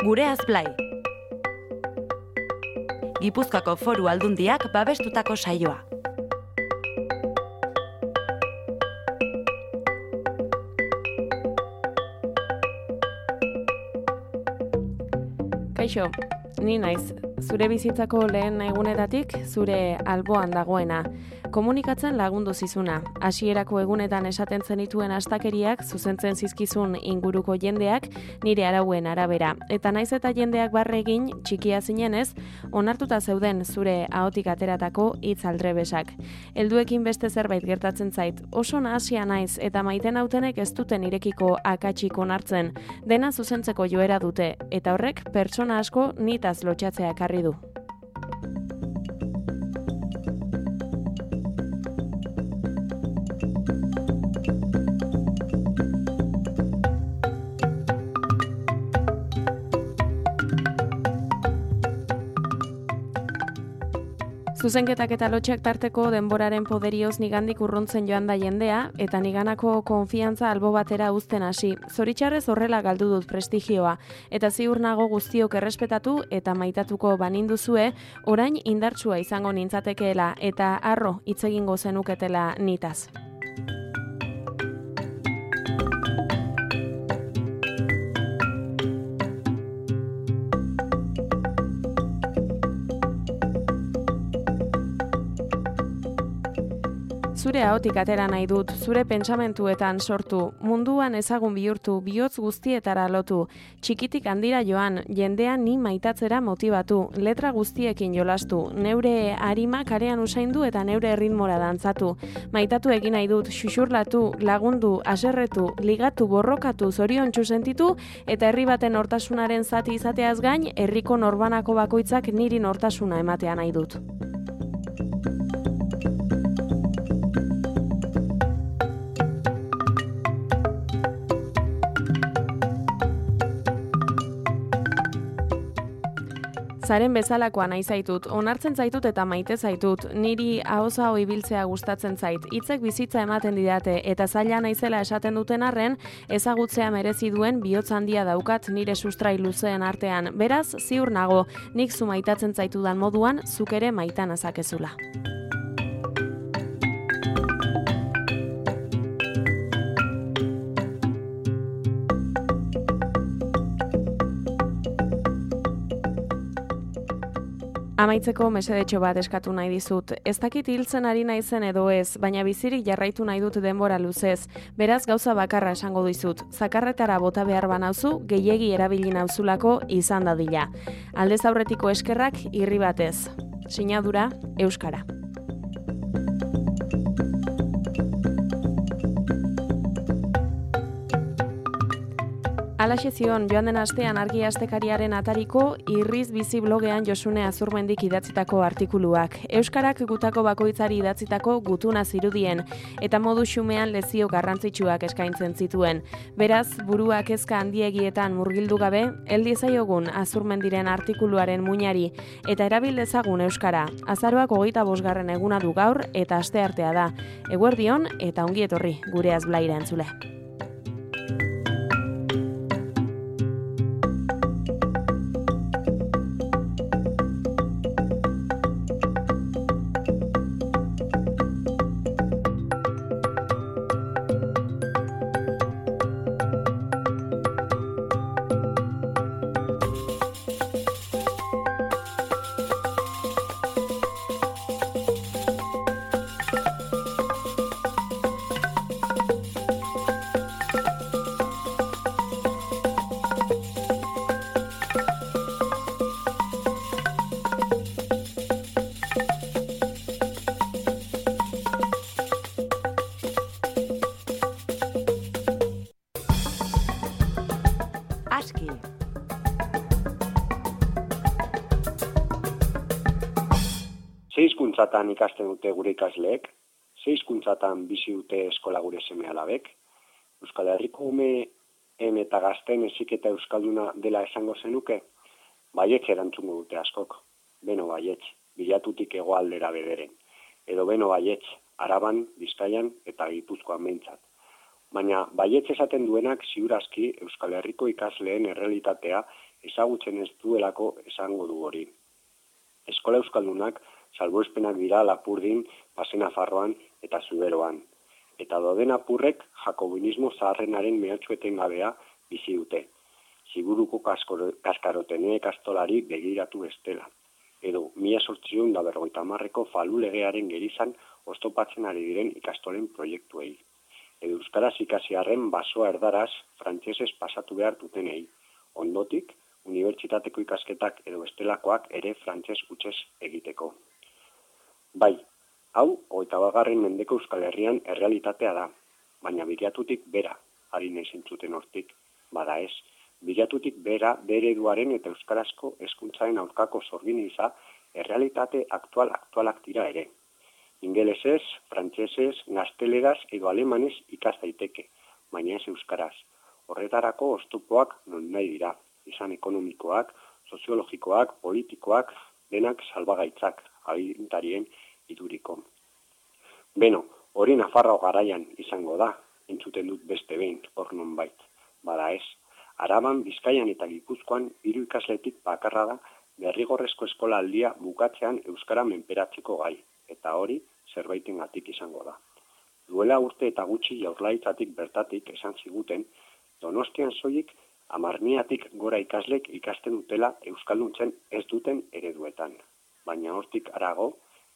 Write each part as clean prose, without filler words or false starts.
Gureaz Blai. Gipuzkoako Foru Aldundiak babestutako saioa. Kaixo, ni naiz, zure bizitzako lehen egunetatik zure alboan dagoena. Komunikatzen lagundu zizuna. Hasierako egunetan esaten zenituen astakeriak zuzentzen zizkizun inguruko jendeak nire arauen arabera. Eta naiz eta jendeak barre egin txikia zinenez, onartuta zeuden zure ahotik ateratako hitz aldrebesak. Helduekin beste zerbait gertatzen zait. Oso nahasia naiz eta maiten hautenek ez duten irekiko akatsik onartzen. Dena zuzentzeko joera dute eta horrek pertsona asko nitaz lotxatzea ekarri du. Zuzenketak eta lotxak tarteko denboraren poderioz nigandik urruntzen joan da jendea, eta niganako konfiantza albo batera uzten hasi. Zoritxarrez horrela galdu dut prestigioa, eta ziur nago guztiok errespetatu eta maitatuko baninduzue, orain indartsua izango nintzatekeela eta harro hitz egingo zenuketela nitaz. Zure ahotik atera nahi dut, zure pentsamentuetan sortu, munduan ezagun bihurtu, bihotz guztietara lotu, txikitik handira joan, jendea ni maitatzera motibatu, letra guztiekin jolastu, neure arima karean usaindu eta neure erritmora dantzatu. Maitatu egin nahi dut, xuxurlatu, lagundu, haserretu, ligatu, borrokatu, zoriontsu sentitu, eta herri baten nortasunaren zati izateaz gain, herriko norbanako bakoitzak niri nortasuna ematea nahi dut. Zaren bezalakoa nahi zaitut, onartzen zaitut eta maite zaitut, niri ahoza ibiltzea gustatzen zait, hitzek bizitza ematen didate eta zaila naizela esaten duten arren, ezagutzea merezi duen bihotz handia daukat nire sustrai luzeen artean. Beraz, ziur nago, nik zu maitatzen zaitudan moduan, zuk ere maitan azakezula. Amaitzeko mesedetxo bat eskatu nahi dizut. Ez dakit hiltzen ari naizen edo ez, baina bizirik jarraitu nahi dut denbora luzez. Beraz gauza bakarra esango dizut. Zakarretara bota behar banauzu, gehiegi erabili nauzulako izan dadila. Aldez aurretiko eskerrak irri batez. Sinadura, Euskara. Alaxe zion, joan den astean Argi Astekariaren atariko Irriz Bizi blogean Josune Azurmendik idatzitako artikuluak. Euskarak gutako bakoitzari idatzitako gutuna zirudien, eta modu xumean lezio garrantzitsuak eskaintzen zituen. Beraz, buruak kezka handiegietan murgildu gabe, heldi zaiogun Azurmendiren artikuluaren muinari, eta erabil dezagun Euskara. Azaroak 25. eguna du gaur, eta asteartea da. Eguerdion eta ongi etorri, Gureaz Blaira entzule. Ze hizkuntzatan ikasten dute gure ikasleek, ze hizkuntzatan bizi dute eskola gure seme-alabek, Euskal Herriko umeen eta gazteen heziketa euskalduna dela esango zenuke, baietz erantzungo dute askok, beno baietz, bilatutik hegoaldera bederen, edo beno baietz, Araban, Bizkaian eta Gipuzkoan behintzat. Baina baietz esaten duenak ziurazki Euskal Herriko ikasleen errealitatea ezagutzen ez duelako esango du hori. Eskola euskaldunak salbuespenak dira Lapurdin, Basenafarroan eta Zuberoan. Eta dauden apurrek jakobinismo zaharrenaren mehatxu etengabea bizi dute. Ziburuko kaskarotene ikastolari begiratu bestela. Edo 1850ko Falu legearen gerizan oztopatzen ari diren ikastolen proiektuei. Edo euskaraz ikasiarren basoa erdaraz frantsesez pasatu behar dutenei. Ondotik, unibertsitateko ikasketak edo bestelakoak ere frantses hutsez egiteko. Bai, hau 21. mendeko Euskal Herrian errealitatea da, baina begiratutik bera, ari naiz entzuten hortik, bada ez. Bilatutik bera, bere ereduaren eta euskarazko hezkuntzaren aurkako sorginiza errealitate aktualak dira ere. Ingelesez, frantsesez, gazteleraz edo alemanez ikas daiteke, baina ez euskaraz. Horretarako oztopoak nonahi dira, izan ekonomikoak, soziologikoak, politikoak, denak salbagaitzak, agintarien iduriko. Beno, hori Nafarroa garaian izango da, entzuten dut beste behin, hor nonbait, bada ez. Araban, Bizkaian eta Gipuzkoan 3 ikasletik bakarra da derrigorrezko eskola aldia bukatzean euskara menperatzeko gai, eta hori zerbaitengatik izango da. Duela urte eta gutxi Jaurlaritzatik bertatik esan ziguten, Donostian soilik 10.000 gora ikaslek ikasten dutela euskalduntzen ez duten ereduetan. Baina hortik harago,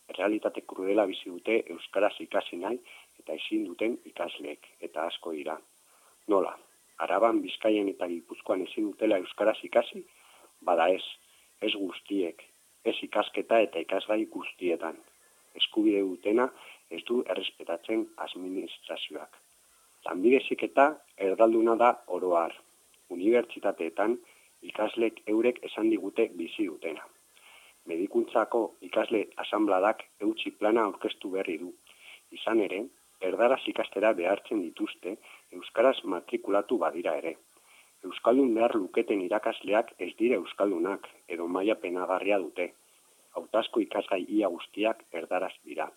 errealitate krudela bizi dute euskaraz ikasi nahi eta ezin duten ikasleek, eta asko dira. Nola? Araban, Bizkaian eta Gipuzkoan ezin dutela euskaraz ikasi, bada ez guztiek, ez ikasketa eta ikasgai guztietan. Eskubide dutena ez du errespetatzen administrazioak. Lanbide heziketa erdalduna da oro har. Unibertsitateetan ikaslek eurek esan digute bizi dutena. Medikuntzako ikasle asanbladak eutsi plana aurkeztu berri du. Izan ere, erdaraz ikastera behartzen dituzte, euskaraz matrikulatu badira ere. Euskaldun behar luketen irakasleak ez dira euskaldunak, edo maila penagarria dute. Hautazko ikasgai ia guztiak erdaraz dira.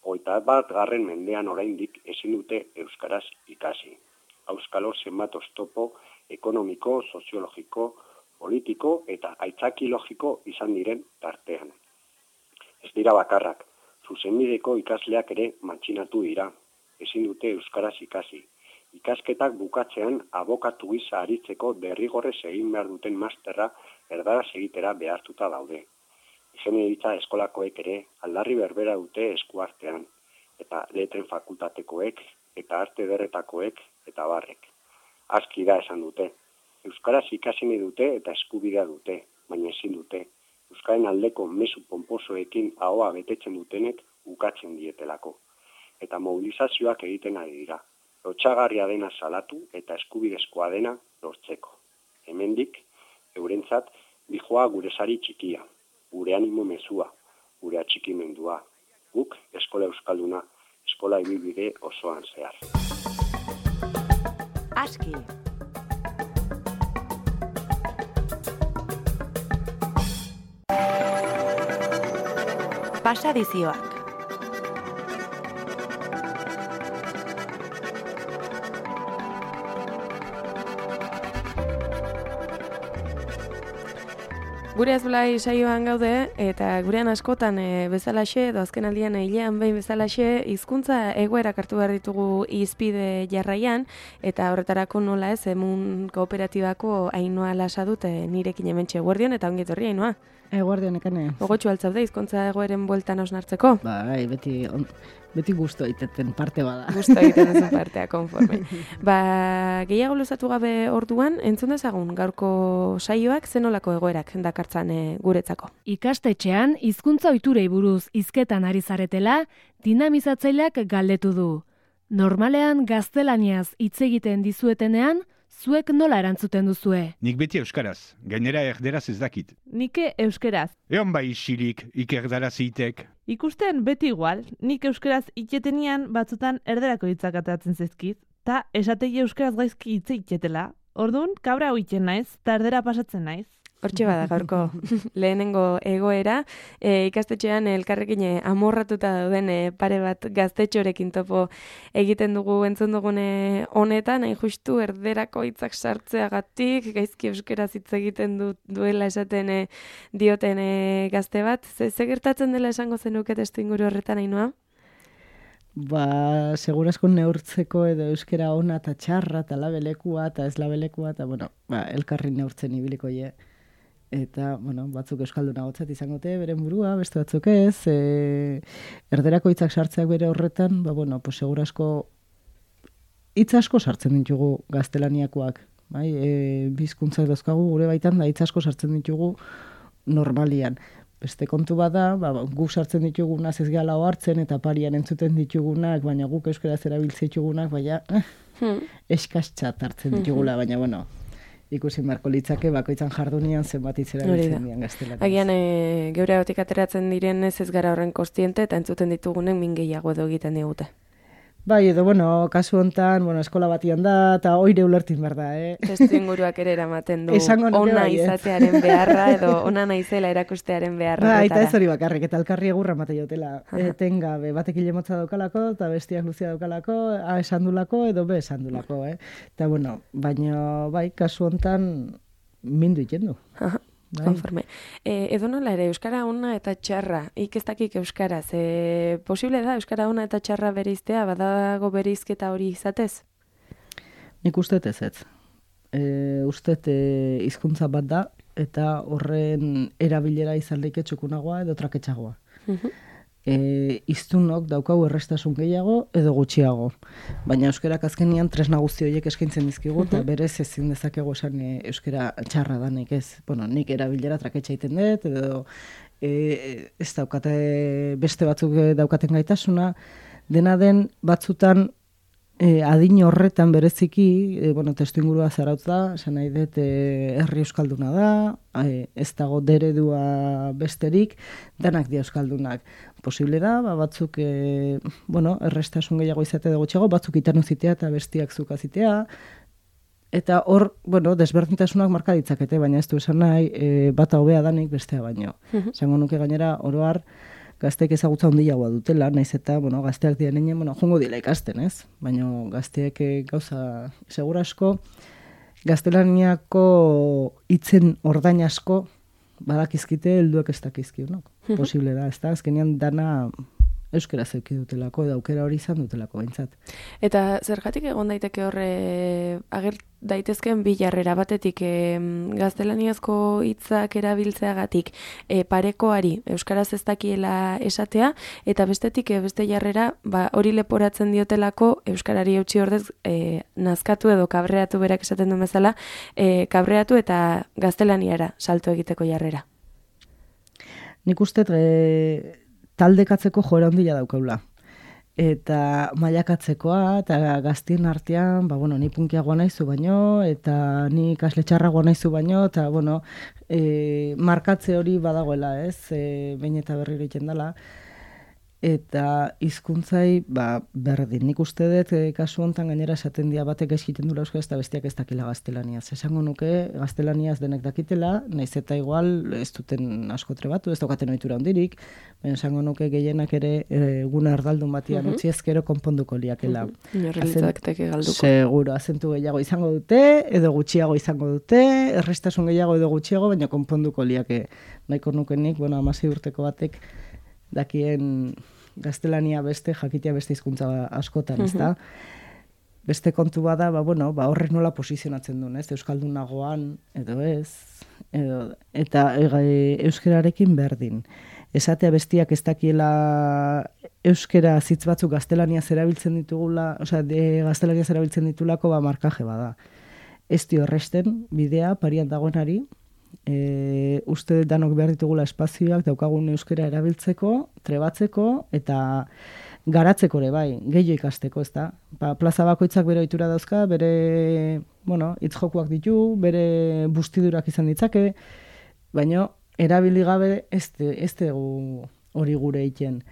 21. mendean oraindik ezin dute euskaraz ikasi. Auskalo zenbat oztopo ekonomiko, soziologiko, politiko eta aitzaki logiko izan diren tartean. Ez dira bakarrak. Zuzenbideko ikasleak ere matxinatu dira, ezin dute euskaraz ikasi. Ikasketak bukatzean abokatu gisa aritzeko derrigorrez egin behar duten masterra erdaraz egitera behartuta daude. Ingeniaritza eskolakoek ere aldarri berbera dute eskuartean, eta letren fakultatekoek, eta arte ederretakoek, eta barrek. Aski da esan dute. Euskaraz ikasi nahi dute eta eskubidea dute, baina ezin dute. Euskaren aldeko mezu ponposoekin ahoa betetzen dutenek ukatzen dietelako. Eta mobilizazioak egiten ari dira. Lotsagarria dena salatu eta eskubidezkoa dena lortzeko. Hemendik, eurentzat, dijoa gure sari txikia, gure animo mezua, gure atxikimendua. Guk eskola euskalduna, eskola ibilbide osoan zehar. Aski. Pasadizioak. Gure Azulai saioan gaude, eta gurean askotan bezalaxe, edo azken aldian hilean behin bezalaxe, hizkuntza egoerak hartu behar ditugu hizpide jarraian, eta horretarako nola ez, Emun Kooperatibako Ainhoa Lasa dut nirekin hementxe. Eguerdion eta ongi etorri, Ainhoa. Eguerdion, ekane. Gogotxu altzaude, hizkuntza egoeren bueltan hausnartzeko? Bai, beti gusto egiten parte bada. Gusto egiten duzu partea, konforme. Gehiago luzatu gabe orduan, entzun dezagun gaurko saioak zenolako egoerak dakartzan guretzako. Ikastetxean, hizkuntza ohiturei buruz hizketan ari zaretela, dinamizatzaileak galdetu du. Normalean gaztelaniaz hitz egiten dizuetenean, zuek nola erantzuten duzue? Nik beti euskaraz, gainera erderaz ez dakit. Nike euskeraz. Egon bai isilik, ikerdaraz itek. Ikusten beti igual, nik euskaraz itxetenian batzutan erderako hitzak ateratzen zaizkit, ta esatei euskaraz gaizki hitze itxetela. Orduan, kabra hoitzen naiz, ta erdera pasatzen naiz. Hortxe bada gaurko lehenengo egoera, ikastetxean elkarrekin amorratuta dauden pare bat gaztetxorekin topo egiten dugu entzun dugune honetan, hain justu erderako hitzak sartzeagatik, gaizki euskaraz hitz egiten duela esaten dioten gazte bat. Ze gertatzen dela esango zenuke testuinguru horretan, Ainhoa? Ba, segurasko neurtzeko edo euskera ona eta txarra eta labelekua eta ez labelekua eta, bueno, elkarri neurtzen ibiliko je. Eta, bueno, batzuk euskalduna gotzat izangote, beren burua, beste batzuk ez, erderako hitzak sartzeak bere horretan, ba, bueno, pues segurasko hitz asko sartzen ditugu gaztelaniakoak, bai, bizkuntzak dauzkagu gure baitan, da hitz asko sartzen ditugu normalian. Beste kontu bada, guk sartzen ditugunaz ez gala hartzen eta parian entzuten ditugunak, baina guk euskaraz erabiltzen ditugunak, baina eskastzat hartzen ditugula, baina, bueno, ikusi marko litzake bakoitzan jardunian zenbat hitz erabiltzen dian gaztelaniaz. Agian geure hautik ateratzen diren ez gara horren kostiente eta entzuten ditugunen min gehiago edo egiten digute. Bai, edo, bueno, kasu hontan, bueno, eskola batian da, eta oire ulertin behar da, Testuinguruak ere eramaten du ona izatearen beharra, edo ona naizela erakustearen beharra. Ba, eta ez hori bakarrik, eta elkarri egurra mate jotela. Tengabe, batek ilemotza daukalako, eta bestiak luzia daukalako, A esandulako, edo B esandulako, Eta, bueno, baina, bai, kasu hontan mindu iten du. Konforme. Edo nola ere, euskara ona eta txarra, ez dakik euskaraz. Posible da euskara ona eta txarra bereiztea, badago bereizketa hori izatez? Nik uste ez. Uste hizkuntza bat da, eta horren erabilera izan leike txukunagoa edo traketxagoa. Iztunok daukau errestasun gehiago edo gutxiago. Baina euskerak azkenian tresna guzti horiek eskaintzen dizkigu, eta berez ezin dezakegu esan euskera txarra danik ez. Bueno, nik erabilera traketxa egiten dut, edo ez daukate beste batzuk daukaten gaitasuna, dena den batzutan adin horretan bereziki, testuingurua zarautz da, esan nahi dut herri euskalduna da, ez dago deredua besterik, danak dia euskaldunak. Posible da, batzuk errestasun gehiago izate dugu txago, batzuk itanu zitea eta bestiak zuka zitea, eta hor, desberdintasunak marka ditzakete, baina ez du esan nahi, bata hobea danik bestea baino. Zango nuke gainera, oroar, gazteek ezagutza handiagoa dutela, naiz eta, gazteak diren jongo dila ikasten, ez? Baina gazteek gauza segura asko, gaztelaniako hitzen ordain asko badakizkite helduek ez dakizkionok. Posible da, ez da? Azkenean dana euskera zeuki dutelako, edo aukera hori izan dutelako behintzat. Eta zergatik egon daiteke horre ager daitezkeen bi jarrera batetik gaztelaniazko hitzak erabiltzeagatik parekoari euskaraz ez dakiela esatea, eta bestetik beste jarrera hori leporatzen diotelako euskarari eutsi ordez nazkatu edo kabreatu berak esaten duen bezala, kabreatu eta gaztelaniara salto egiteko jarrera. Nik uste taldekatzeko joera handia daukaula. Eta mailakatzekoa, eta gaztien artean, ni punkiagoa naizu baino, eta ni ikasle txarragoa naizu baino, eta, markatze hori badagoela, ez? Behin eta berriro egiten dela. Eta hizkuntzai berdin. Nik uste dut, kasu hontan gainera esaten dia batek eskiten dula euskaraz eta bestiak ez dakila gaztelaniaz. Esango nuke, gaztelaniaz denek dakitela, naiz eta igual ez duten asko trebatu, ez daukaten ohitura handirik, baina esango nuke gehienak ere eguna erdaldun batian utzi ezkero konponduko liakela. Inorrelitzaktek galduko. Seguro, azentu gehiago izango dute, edo gutxiago izango dute, errestasun gehiago edo gutxiago, baina konponduko liake. Nahiko nuke nik, 16 urteko batek dakien gaztelania beste, jakitea beste hizkuntza askotan, ezta? Beste kontu bada, horrek nola posizionatzen duen, ez? Euskaldunagoan, edo ez, eta euskerarekin berdin. Esatea bestiak ez dakiela euskera zitz batzuk gaztelaniaz erabiltzen ditugula, gaztelaniaz erabiltzen ditulako markaje bada. Ez dio erresten bidea parian dagoenari, uste danok behar ditugula espazioak daukagun euskera erabiltzeko, trebatzeko eta garatzeko ere bai, gehiago ikasteko, ez da? Plaza bakoitzak bere ohitura dauzka, bere hitz jokuak ditu, bere bustidurak izan ditzake, baina erabili gabe ez dugu hori gure egiten.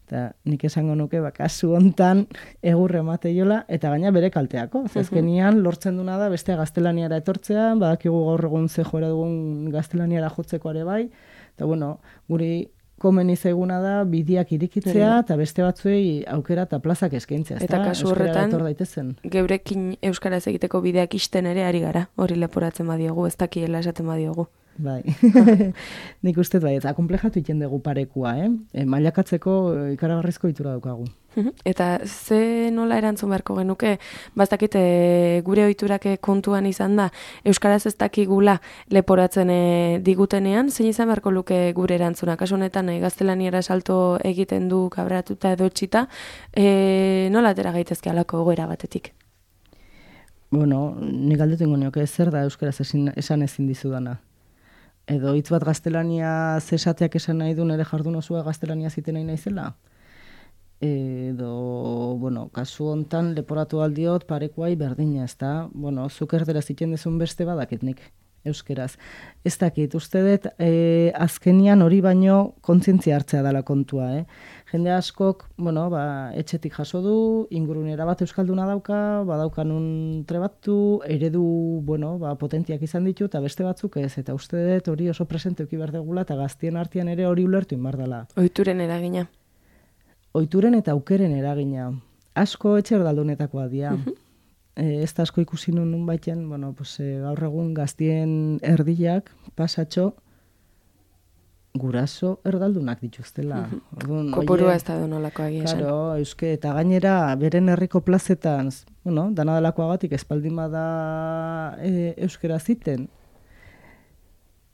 Eta nik esango nuke, kasu hontan egurre emateiola, eta gaina bere kalteako. Azkenian lortzen duna da beste gaztelaniara etortzea, badakigu gaur egun ze joera dugun gaztelaniara jotzeko ere bai, eta bueno, guri komeni zaiguna da bidiak irikitzea eta beste batzuei aukera eta plazak eskaintzea. Eta kasu horretan, daitezen. Geurekin euskaraz egiteko bideak isten ere ari gara, hori leporatzen badiogu, ez dakiela esaten badiogu. Bai, nik uste bai, eta komplejatu iten dugu parekua, mailakatzeko ikaragarrizko itura daukagu. Eta ze nola erantzun beharko genuke, bastakit gure ohiturak kontuan izan da, euskaraz ez dakigula leporatzen digutenean, zein izan beharko luke gure erantzuna, kasu honetan gaztelaniera salto egiten du kabratuta edo etxita, nola atera gaitezke alako egoera batetik? Bueno, nik galdetu ingo nioke zer da euskaraz esan ezin dizudana. Edo hitz bat gaztelania zesateak esan nahi du nire jardun osua gaztelania ziten nahi naizela? Edo, bueno, kasu hontan leporatu aldiot parekuai berdina, ez da? Bueno, zuk erderaz iten dezun beste badakit nik, euskeraz. Ez dakit, uste dut, azkenian hori baino kontzientzia hartzea dela kontua, Jende askok, bueno, etxetik jaso du, ingurunera bat euskalduna dauka, badaukanun trebatu, eredu, bueno, potentiak izan ditu, eta beste batzuk ez, eta uste dut hori oso presente euki behar degula, eta gaztien artean ere hori ulertu inbar dela. Ohituren eragina. Ohituren eta aukeren eragina. Asko etxe erdaldunetakoa dira. Ez da asko ikusi nun baiten, bueno, gaur egun gaztien erdiak, pasatxo, guraso erdaldunak dituztela. Kopurua ez da donolako agia esan. Claro, euske, eta gainera, beren herriko plazetan, bueno, dana delakoagatik espaldin bada euskera ziten,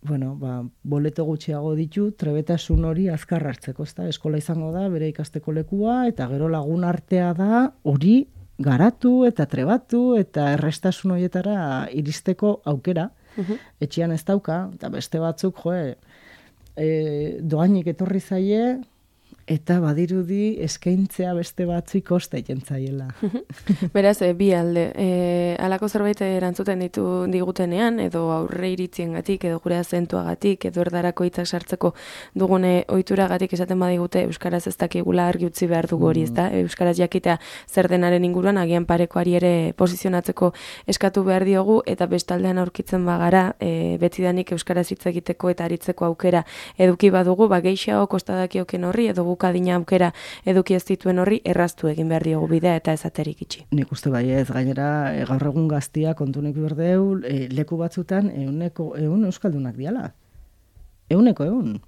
bueno, boleto gutxiago ditu, trebetasun hori azkar hartzeko, ezta? Eskola izango da, bere ikasteko lekua, eta gero lagun artea da, hori garatu eta trebatu, eta errestasun horietara iristeko aukera. Etxean ez dauka, eta beste batzuk, doainik etorri zaie, eta badirudi eskaintzea beste batzuik kosta egiten zaiela. Beraz, bi alde. Halako zerbait erantzuten digutenean, edo aurre iritziengatik, edo gure azentuagatik, edo erdarako hitzak sartzeko dugune ohituragatik esaten badigute euskaraz ez dakigula argi utzi behar dugu hori, ezta? Euskaraz jakitea zer denaren inguruan agian parekoari ere posizionatzeko eskatu behar diogu, eta bestaldean aurkitzen bagara, betidanik euskaraz hitz egiteko eta aritzeko aukera eduki badugu, gehixeago kostadakioken horri, edo bukadina aukera eduki ez dituen horri erraztu egin behar diogu bidea eta ezaterik itxi. Nik uste bai ez, gainera gaur egun gaztia kontunek berdeu, leku batzutan ehun euskaldunak diala. 100.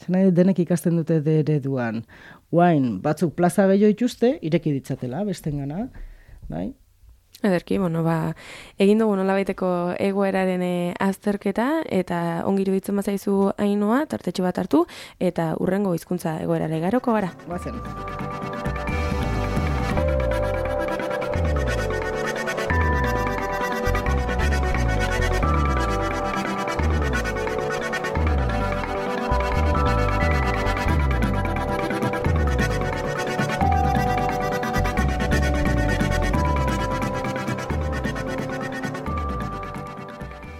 Zena denek ikasten dute ereduan. Guain, batzuk plaza gehiago ituzte, ireki ditzatela, bestengana, bai? Ederki, egin dugu nolabaiteko egoeraren azterketa, eta ongi iruditzen bazaizu Ainhoa, tartetxo bat hartu, eta hurrengo hizkuntza egoerara igaroko gara. Guazen.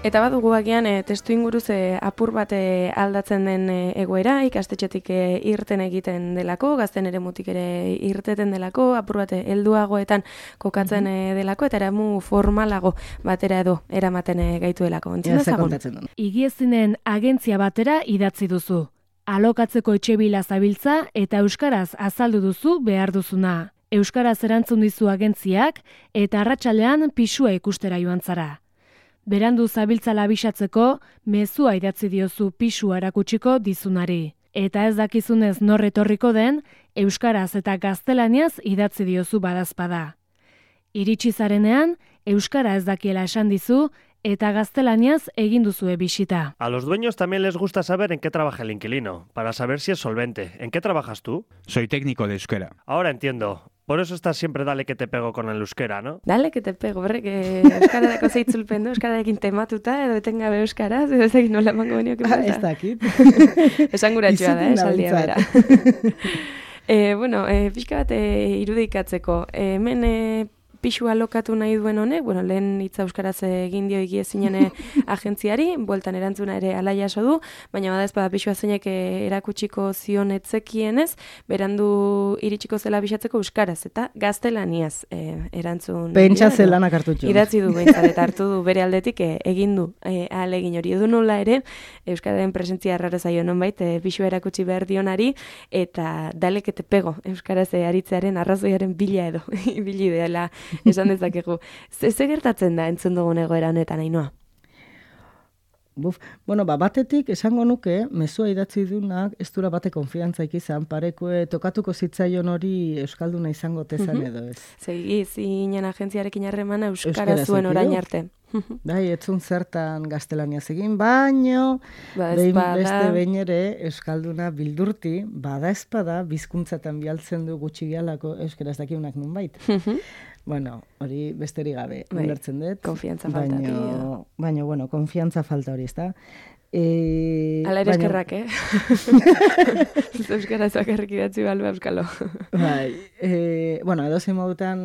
Eta badugu agian testu inguruz apur bat aldatzen den egoera, ikastetxetik irten egiten delako, gazten eremutik ere irteten delako, apur bat helduagoetan kokatzen delako, eta eramu formalago batera edo eramaten gaituelako. Entzun dezagun? Higiezinen agentzia batera idatzi duzu. Alokatzeko etxebila zabiltza eta euskaraz azaldu duzu behar duzuna. Euskaraz erantzun dizu agentziak eta arratsaldean pisua ikustera joan zara. Berandu zabiltzala abisatzeko, mezua idatzi diozu pisua erakutsiko dizunari. Eta ez dakizunez nor etorriko den, euskaraz eta gaztelaniaz idatzi diozu badazpada. Iritsi zarenean, euskara ez dakiela esan dizu, eta gaztelaniaz egin duzue bisita. A los dueños también les gusta saber en qué trabaja el inquilino, para saber si es solvente. ¿En qué trabajas tú? Soy técnico de euskera. Ahora entiendo. Por eso estás siempre dale que te pego con el euskera, ¿no? Dale que te pego, berrek euskaradako zeitzulpen du, euskararekin tematuta, edo etengabe euskaraz, edo ez egin nola emango beniokin bata. Ez dakit. Esanguratxoa da, saldia bera. Pixka bat irudikatzeko, hemen pixua lokatu nahi duen honek, bueno, lehen hitza euskaraz egin dio egiezinen agentziari, bueltan erantzuna ere ala jaso du, baina bada ezpada pixua zeinek erakutsiko zion etzekienez, berandu iritsiko zela bisatzeko euskaraz, eta gaztelaniaz erantzun. Pentsa zelanak hartu txu. Idatzi du behintzat, eta hartu du bere aldetik egin du ahalegin hori. Edu nola ere, euskararen presentzia erraro zaio nonbait, pixua erakutsi behar dionari, eta dalekete pego euskaraz aritzearen arrazoiaren bila edo, ibili dela esan dezakegu. Ze gertatzen da entzun dugun egoera honetan, Ainhoa? Bueno, batetik esango nuke, mezua idatzi dunak, ez dura bate konfiantzaik izan, parekoe tokatuko zitzaion hori euskalduna izango tezan edo ez. Segi, zinen agentziarekin harremana euskara zuen orain arte. Bai, etzun zertan gaztelaniaz egin, baino beste behin ere euskalduna bildurti, bada espada, bizkuntzatan bialtzen du gutxi gehalako euskaraz dakiunak nunbait. Bueno, hori besterik gabe, ulertzen dut. Konfiantza falta. Baina, bueno, konfiantza falta hori, ezta? Ala ere eskerrak, Euskara zakarrik idatzi balba euskalo. Bai, bueno, edozein modutan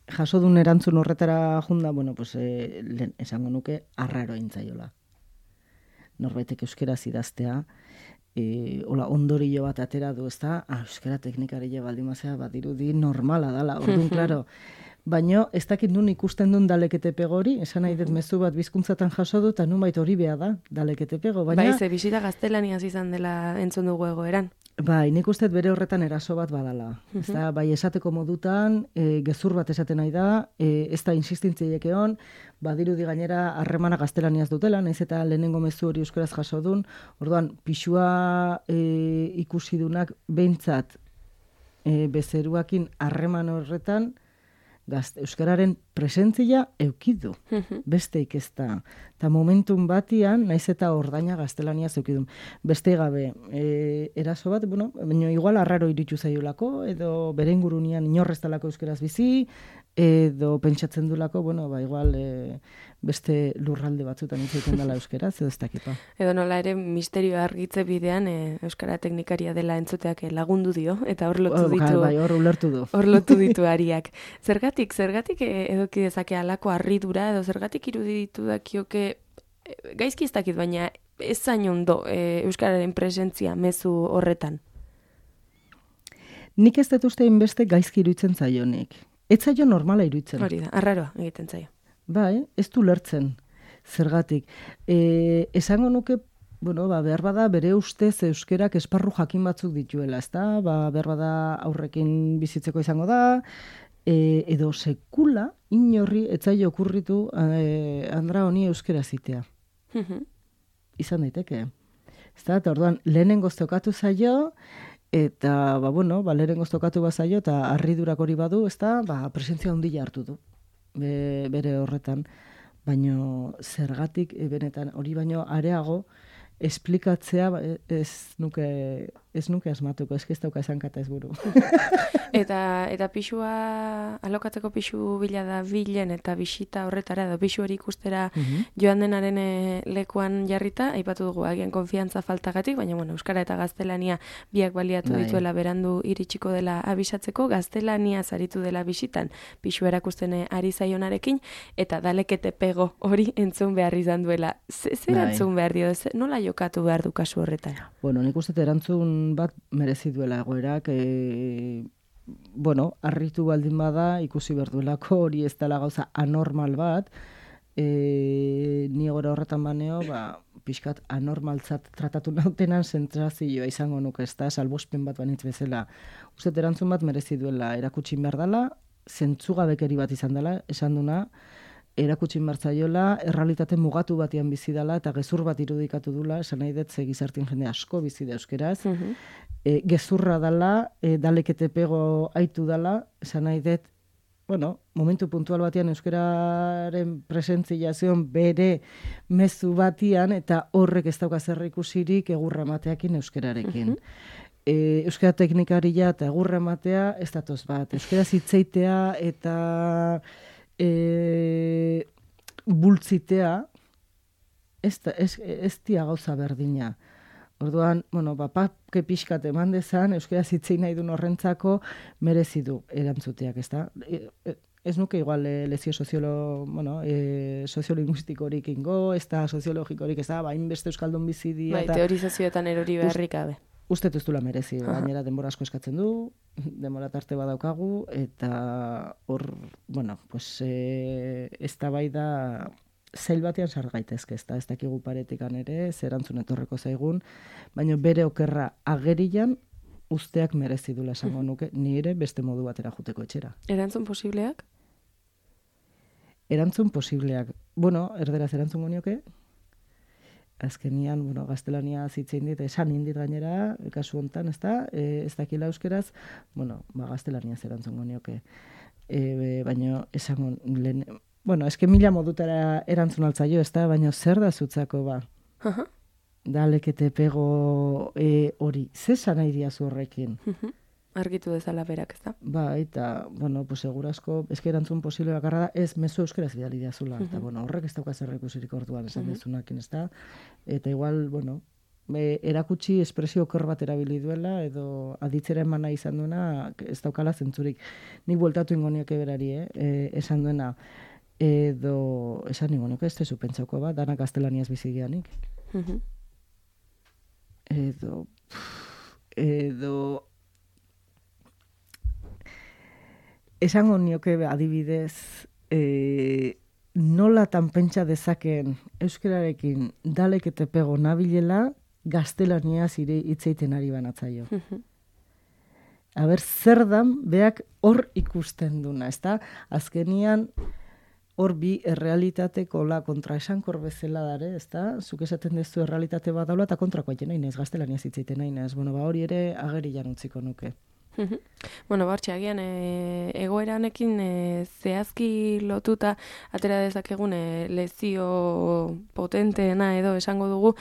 jaso duen erantzun horretara junda, bueno, pues, esango nuke arraro intzaiola. Norbaitek euskaraz idaztea, hola, ondorio bat atera du, ezta? Euskara teknikarile baldimazea bat irudi normala dala, orduan, klaro. Baina ez dakit nun ikusten duen dalekete pego hori, esan nahi dut mezu bat bizkuntzatan jaso du, eta nunbait hori beha da, dalekete pego. Bai, ze bisita gaztelaniaz izan dela entzun dugu egoeran. Bai, nik uste bere horretan eraso bat badala. Ezta, bai esateko modutan, gezur bat esaten nahi da, ez da insistintziek egon, badirudi gainera harremana gaztelaniaz dutela, naiz eta lehenengo mezu hori euskaraz jaso dun, orduan, pixua ikusi dunak behintzat bezeruakin harreman horretan, euskararen presentzia eukidu, besteik ez da. Eta momentun batian, naiz eta ordaina gaztelaniaz eukidun. Beste gabe, eraso bat, bueno, baina igual arraro iritsu zaiolako, edo bere ingurunian inorreztalako euskaraz bizi, edo pentsatzen dulako, bueno, ba, igual beste lurralde batzutan izaiten dela euskaraz, edo ez dakipa. Edo nola ere misterioa argitze bidean euskara teknikaria dela entzuteak lagundu dio, eta hor lotu ditu. Bai, hor ulertu du. Hor lotu ditu ariak. Zergatik edoki dezake alako harridura, edo zergatik iruditu dakioke, gaizki ez dakit, baina ez zain ondo euskararen presentzia mezu horretan. Nik ez dut uste inbeste gaizki iruditzen zaionik. Ez zaio normala iruditzen. Hori da, arraroa egiten zaio. Bai, ez du lertzen, zergatik. Esango nuke, bueno, behar bada bere ustez euskerak esparru jakin batzuk dituela, ezta? Behar bada aurrekin bizitzeko izango da, edo sekula inorri etzaio okurritu Andra honi euskera zitea. Izan daiteke. Ezta, eta orduan lehenengoz tokatu zaio, eta, lehenengoz tokatu bazaio, eta harridurak hori badu, ezta, presentzia handia hartu du. Bere horretan, baino zergatik benetan hori baino areago esplikatzea ez nuke asmatuko, ez dauka esankata ez buru. Eta pixua, alokatzeko pixu bila da bilen eta bisita horretara, edo pixu hori ikustera joan denaren lekuan jarrita, aipatu dugu agian konfiantza faltagatik, baina bueno, euskara eta gaztelania biak baliatu dituela berandu iritsiko dela abisatzeko, gaztelania zaritu dela bisitan, pixu erakusten ari zaionarekin, eta dalekete pego hori entzun behar izan duela. Zer entzun behar dio, nola jokatu behar du kasu horretan? Bueno, nik uste erantzun bat merezi duela egoerak, harritu baldin bada, ikusi behar duelako hori ez dela gauza anormal bat, ni gora horretan baneo, pixkat anormaltzat tratatu nautenan zentrazioa izango nuke, ez da, salbospen bat banitz bezala. Uste erantzun bat merezi duela, erakutsin behar dela, zentzugabekeri bat izan dela, esan duna, erakutsin martzaiola, errealitate mugatu batean bizi dela, eta gezur bat irudikatu dula, esan nahi dut, gizartien jende asko bizi da euskeraz, gezurra dela, dalekete pego aitu dela, esan nahi dut, momentu puntual batean euskeraren presentzia zion bere mezu batian, eta horrek ez dauka zer ikusirik egurra emateakin euskerarekin. Euskara teknikaria eta egurra ematea ez datoz bat. Euskera zitzeitea eta bultzitea ez dia gauza berdina. Orduan, papake pixkat eman dezan, euskaraz hitzein nahi duen horrentzako merezi du erantzuteak, ez da? Ez nuke igual lezio soziolinguistikorik ingo, ez da soziologikorik, ez da, hainbeste euskaldun bizi dira. Teorizazioetan erori beharrik gabe. Uste ez duela merezi, gainera denbora asko eskatzen du, denbora tarte badaukagu, eta hor, eztabaida zail batean sar gaitezke, ez dakigu paretikan ere, zer erantzun etorreko zaigun, baina bere okerra agerian usteak merezi dula esango nuke, ni ere beste modu batera juteko etxera. Erantzun posibleak? Erantzun posibleak. Erderaz erantzun gonioke, azkenian, gaztelania zitzein dit, esan indit gainera, kasu hontan, ez da, ez dakila euskeraz, gaztelania erantzun gonioke. Baina esango lehen, eske mila modutara erantzun altzaio, ez da, baina zer da zutzako ba? Dalekete pego hori, zesan nahi diazu horrekin? Argitu dezala berak, ez da? Eta, segurasko, eske erantzun posible bakarra da, ez mezu euskeraz bidali diazula. Eta, horrek ez dauka zer ikusirik orduan esan dezunakin, ez da? Eta igual, erakutsi espresio oker bat erabili duela, edo aditzera emana izan duena, ez daukala zentzurik. Ni bueltatu ingonioke berari, esan duena, edo, esan ingonioke, ez tezu pentsauko bat, danak gaztelaniaz bizigianik. Edo, esango nioke adibidez, nolatan pentsa dezaken euskerarekin dalekete pego nabilela, gaztelaniaz hitzeiten ari banatzaio. Zer dan, beak hor ikusten duna, ez da? Azkenian, hor bi errealitateko kontraesankor bezala dare, ez da? Zuk esaten dezu errealitate bat daula eta kontrakoa nahi nahiz, gaztelaniaz hitzeiten nahi nahiz. Hori ere agerian utziko nuke. Agian egoeranekin zehazki lotuta atera dezakegun lezio potenteena edo esango dugu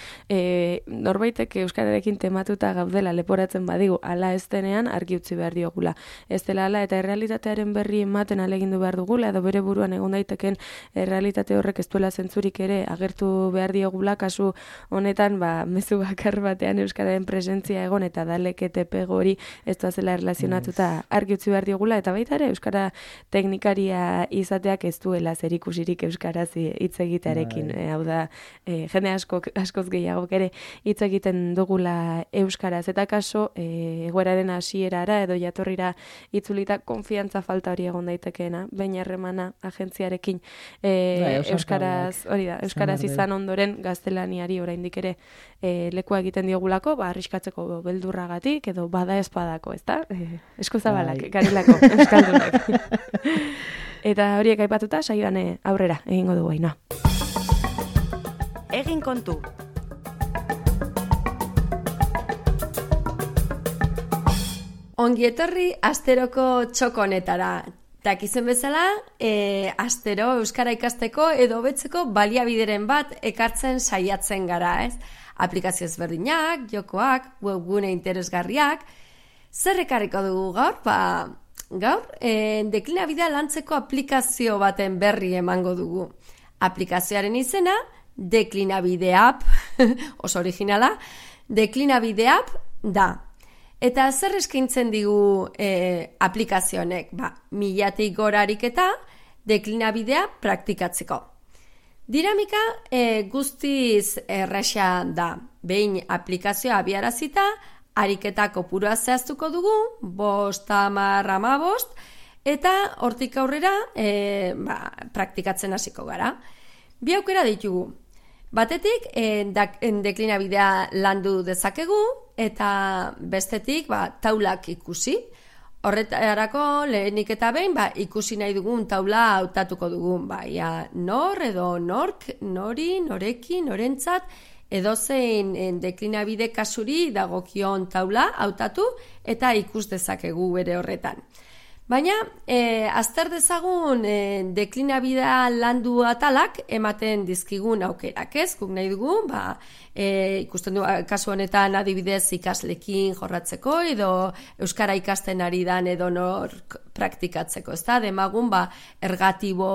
norbaitek euskararekin tematuta gaudela leporatzen badigu ala ez denean argi utzi behar diogula. Ez dela ala eta errealitatearen berri ematen alegindu behar dugula edo bere buruan egon daiteken errealitate horrek ez duela zentzurik ere agertu behar diogula, kasu honetan mezu bakar batean euskararen presentzia egon eta dalekete pego hori ez duazela erlazionatuta argi utzi behar diogula, eta baita ere euskara teknikaria izateak ez duela zerikusirik euskaraz hitz egitearekin. Hau da, jende askoz gehiagok ere hitz egiten dugula euskaraz. Eta kaso, egoeraren hasierara edo jatorrira itzulita konfiantza falta hori egon daitekeena, baina harremana agentziarekin euskaraz, hori da, euskaraz izan ondoren gaztelaniari oraindik ere lekua egiten diogulako, arriskatzeko beldurragatik edo bada espadako, ezta? Eskuzabalak, garilako, euskaldunak. Eta horiek aipatuta, saioan aurrera egingo dugu Ainhoa. Egin kontu. Ongi etorri asteroko txoko honetara. Dakizuen bezala, astero euskara ikasteko edo hobetzeko baliabideren bat ekartzen saiatzen gara, ez? Aplikazio ezberdinak, jokoak, webgune interesgarriak. Zer ekarriko dugu gaur? Gaur, deklinabidea lantzeko aplikazio baten berri emango dugu. Aplikazioaren izena, Deklinabide App, oso originala, Deklinabide App da. Eta zer eskaintzen digu aplikazionek? 1000 gora ariketa deklinabidea praktikatzeko. Dinamika guztiz erraxa da. Behin aplikazioa abiarazita, ariketa kopurua zehaztuko dugu, 5, 10, 15, eta hortik aurrera praktikatzen hasiko gara. Bi aukera ditugu. Batetik, deklinabidea landu dezakegu, eta bestetik taulak ikusi. Horretarako lehenik eta behin ikusi nahi dugun taula hautatuko dugun. Nor edo nork, nori, norekin, norentzat, edozein deklinabide kasuri dagokion taula hautatu eta ikus dezakegu bere horretan. Baina, azter dezagun deklinabidea landu atalak ematen dizkigun aukerak, ez? Guk nahi dugu, ikusten du, kasu honetan adibidez ikaslekin jorratzeko, edo euskara ikasten ari dan edo nor praktikatzeko, ez da? Demagun, ergatibo,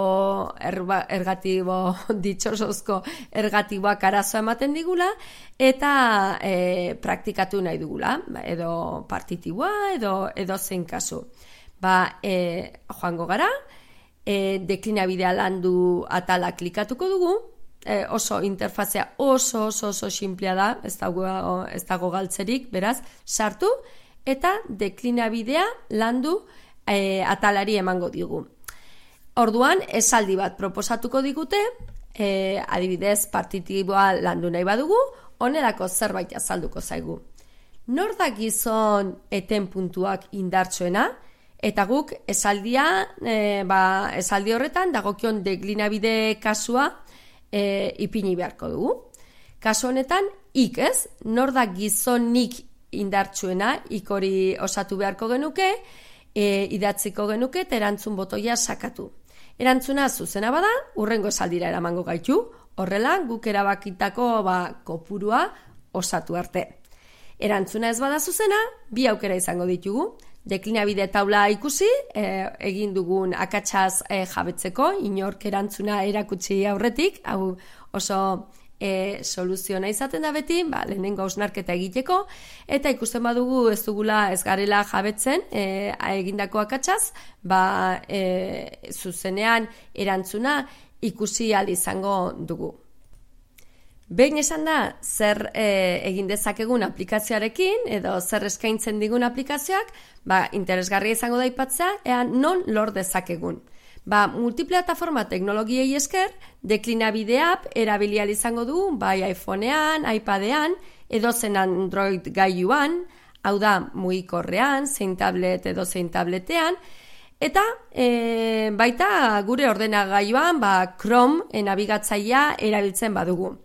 ditxosozko ergatiboak arazoa ematen digula, eta praktikatu nahi dugula, edo partitiboa, edo zein kasu. Joango gara, deklinabidea landu atala klikatuko dugu, oso interfazea oso simplea da, ez dago galtzerik, beraz, sartu, eta deklinabidea landu atalari emango digu. Orduan, esaldi bat proposatuko digute, adibidez, partitiboa landu nahi badugu, honelako zerbait azalduko zaigu. Nor da gizon eten puntuak indartsuena, eta guk esaldi horretan dagokion deklinabide kasua ipini beharko dugu. Kasu honetan, ez? Nor da gizonik indartsuena, hori osatu beharko genuke, idatziko genuke, eta erantzun botoia sakatu. Erantzuna zuzena bada, hurrengo esaldira eramango gaitu, horrela guk erabakitako kopurua osatu arte. Erantzuna ez bada zuzena, bi aukera izango ditugu. Deklinabide taula ikusi, egin dugun akatsaz jabetzeko, inork erantzuna erakutsi aurretik, hau oso soluziona izaten da beti, lehenengo hausnarketa egiteko, eta ikusten badugu ez dugula ez garela jabetzen egindako akatsaz, zuzenean erantzuna ikusi ahal izango dugu. Behin esan da, zer egin dezakegun aplikazioarekin, edo zer eskaintzen digun aplikazioak, interesgarria izango da aipatzea, ea non lor dezakegun. Multiplataforma teknologiei esker, deklinabide app erabili ahal izango du, bai iPhonean, iPadean, edo zen Android gailuan, hau da mugikorrean, zein tablet edo zein tabletean, eta baita gure ordenagailuan Chrome nabigatzailea erabiltzen badugu.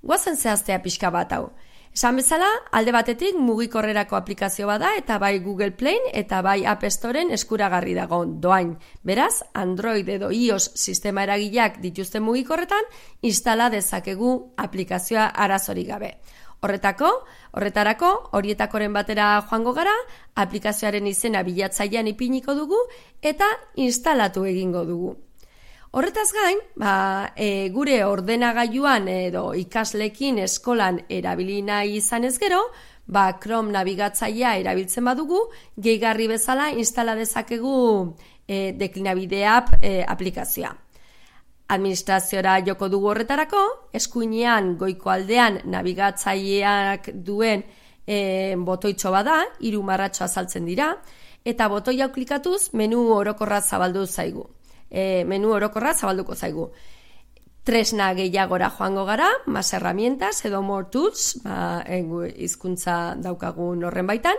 Goazen zehaztea pixka bat hau. Esan bezala, alde batetik mugikorrerako aplikazio bada eta bai Google Play eta bai App Storeen eskuragarri dago doain. Beraz, Android edo iOS sistema eragileak dituzten mugikorretan instala dezakegu aplikazioa arazorik gabe. Horretarako, horietakoren batera joango gara, aplikazioaren izena bilatzailean ipiniko dugu eta instalatu egingo dugu. Horretaz gain, gure ordenagailuan edo ikaslekin eskolan erabili nahi izanez gero, Chrome nabigatzailea erabiltzen badugu, gehigarri bezala instala dezakegu deklinabide app aplikazioa. Administraziora joko dugu horretarako, eskuinean goiko aldean nabigatzaileak duen botoitxo bada, 3 marratxo azaltzen dira, eta botoia klikatuz menu orokorra zabaldu zaigu. Zabalduko zaigu. Tresna gehiagora joango gara, más herramientas edo more tools, hizkuntza daukagun horren baitan,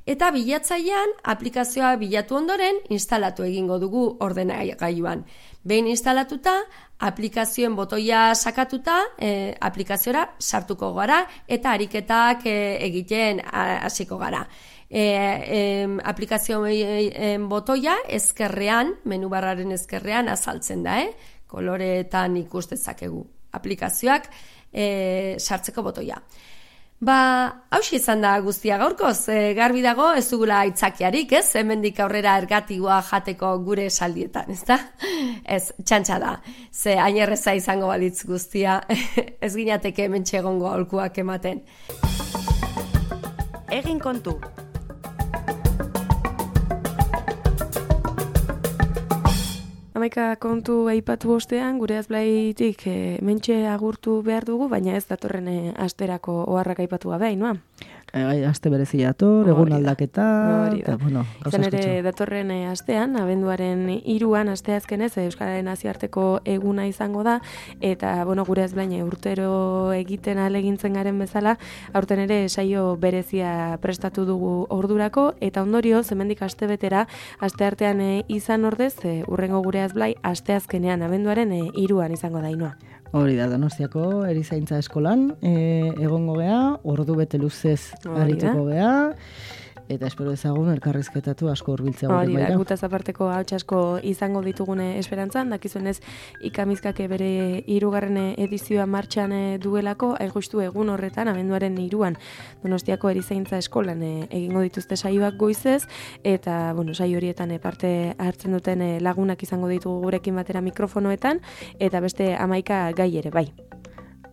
eta bilatzailean aplikazioa bilatu ondoren instalatu egingo dugu ordenagailuan. Behin instalatuta, aplikazioen botoia sakatuta, aplikaziora sartuko gara eta ariketak egiten hasiko gara. Aplikazioen botoia ezkerrean, menu barraren ezkerrean azaltzen da, koloreetan ikus dezakegu aplikazioak sartzeko botoia. Hauxe izan da guztia gaurkoz, garbi dago ez dugula aitzakiarik, ez? Hemendik aurrera ergatiboa jateko gure esaldietan, ez da? Ez, txantxa da, ze hain erreza izango balitz guztia, ez ginateke hementxe egongo aholkuak ematen. Egin kontu. Hamaika kontu aipatu ostean, gure azblaitik mentxe agurtu behar dugu, baina ez datorren asterako oharrak aipatu gabe, Ainhoa? Aste berezi dator, egun aldaketa, eta bueno, izan ere datorren astean, abenduaren 3an asteazkenez Euskararen nazioarteko eguna izango da, eta bueno, gure azblaine urtero egiten ahalegintzen garen bezala, aurten ere saio berezia prestatu dugu ordurako, eta ondorio, hemendik astebetera, asteartean izan ordez, urrengo gure azblai asteazkenean, abenduaren 3an izango da, Ainhoa. Hori da, Donostiako erizaintza eskolan, egongo gea, ordu bete luzez arituko gea, eta espero ezagun elkarrizketatu asko hurbiltzea Hori da, baira. gutaz aparteko hauts asko izango ditugune esperantzan, dakizunez ikamizkake bere 3. edizioa martxan duelako, justu egun horretan, abenduaren 3an Donostiako Erizaintza Eskolan egingo dituzte saioak goizez, eta saio horietan parte hartzen duten lagunak izango ditugu gurekin batera mikrofonoetan, eta beste 11 gai ere, bai.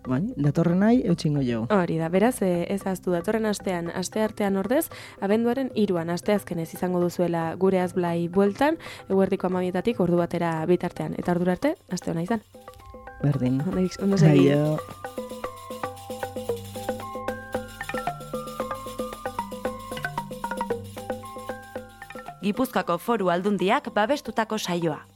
Bai, datorren nahi, eutxingo jo. Hori da, beraz, ez aztu datorren astean, asteartean ordez, abenduaren 3an, asteazkenez izango duzuela gure azblai bueltan, eguerdiko 12etatik ordu batera bitartean. Eta ordura arte, aste hona izan. Berdin. Ondo segi. Aio. Gipuzkoako Foru Aldundiak babestutako saioa.